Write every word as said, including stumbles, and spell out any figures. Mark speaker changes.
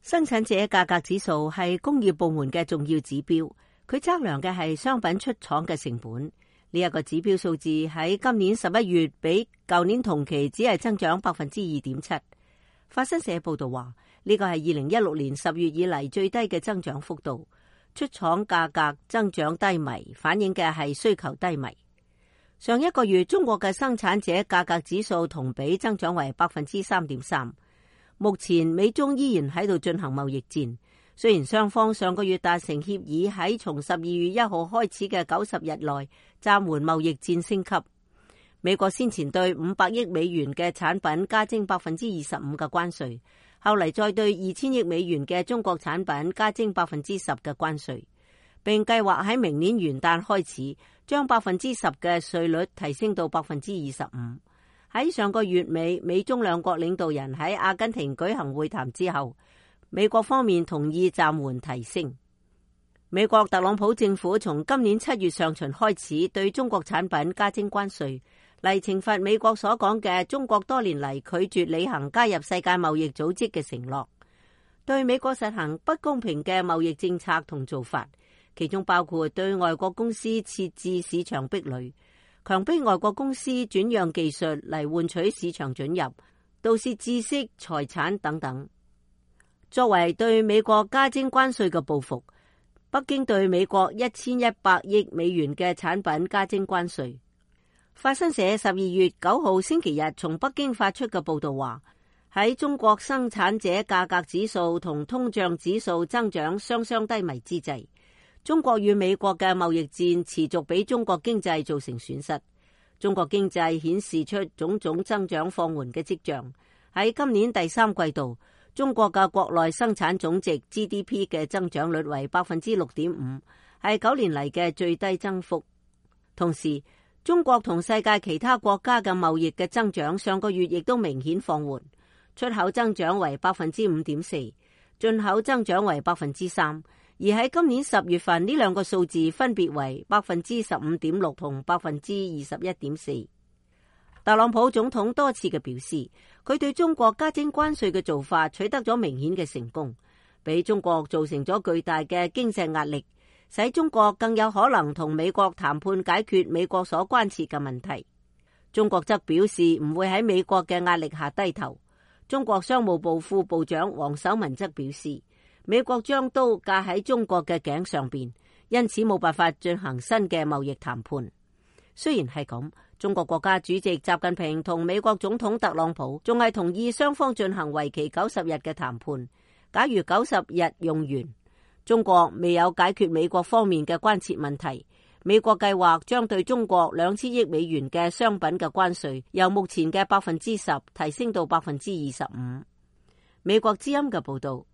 Speaker 1: 生產者價格指數係工業部門嘅重要指標，佢測量嘅係商品出廠嘅成本。呢一個指標數字喺今年十一月比舊年同期只係增長百分之二點七。法新社報道話，呢個係二零一六年十月以嚟最低嘅增長幅度。出廠價格增長低迷，反映嘅係需求低迷。上一個月中國嘅生產者價格指數同比增長為百分之三點三。目前美中依然喺度進行貿易戰，雖然雙方上個月達成協議，喺從十二月一號開始嘅九十日內暫緩貿易戰升級。美國先前對五百億美元嘅產品加徵百分之二十五嘅關稅，後嚟再對二千億美元嘅中國產品加徵百分之十嘅關稅，並計劃喺明年元旦開始將百分之十嘅稅率提升到百分之二十五。喺上個月尾，美中兩國領導人喺阿根廷舉行會談之後，美國方面同意暫緩提升。美國特朗普政府從今年七月上旬開始對中國產品加徵關稅，嚟懲罰美國所講嘅中國多年嚟拒絕履行加入世界貿易組織嘅承諾，對美國實行不公平嘅貿易政策同做法，其中包括對外國公司設置市場壁壘，強迫外國公司轉讓技術嚟換取市場准入，盜竊知識、財產等等。作為對美國加徵關稅嘅報復，北京對美國一千一百億美元嘅產品加徵關稅。法新社十二月九號星期日從北京發出嘅報道話，喺中國生產者價格指數同通脹指數增長雙雙低迷之際，中國與美國嘅貿易戰持續俾中國經濟造成損失。中國經濟顯示出種種增長放緩嘅跡象。喺今年第三季度，中國嘅國內生產總值 G D P 嘅增長率為百分之六點五，係九年嚟嘅最低增幅。同時，中國同世界其他國家嘅貿易嘅增長上個月亦都明顯放緩，出口增長為百分之五點四，進口增長為百分之三。而喺今年十月份，呢兩個數字分別為百分之十五點六同百分之二十一點四。特朗普總統多次嘅表示，佢對中國加徵關稅嘅做法取得咗明顯嘅成功，俾中國造成咗巨大嘅經濟壓力，使中國更有可能同美國談判解決美國所關切嘅問題。中國則表示唔會喺美國嘅壓力下低頭。中國商務部副部長王守文則表示，美國將刀架喺中國嘅頸上邊，因此冇辦法進行新嘅貿易談判。雖然係咁，中國國家主席習近平同美國總統特朗普仲係同意雙方進行為期九十日嘅談判。假如九十日用完，中國未有解決美國方面嘅關切問題，美國計劃將對中國兩千億美元嘅商品嘅關稅由目前嘅百分之十提升到百分之二十五。美國之音嘅報道。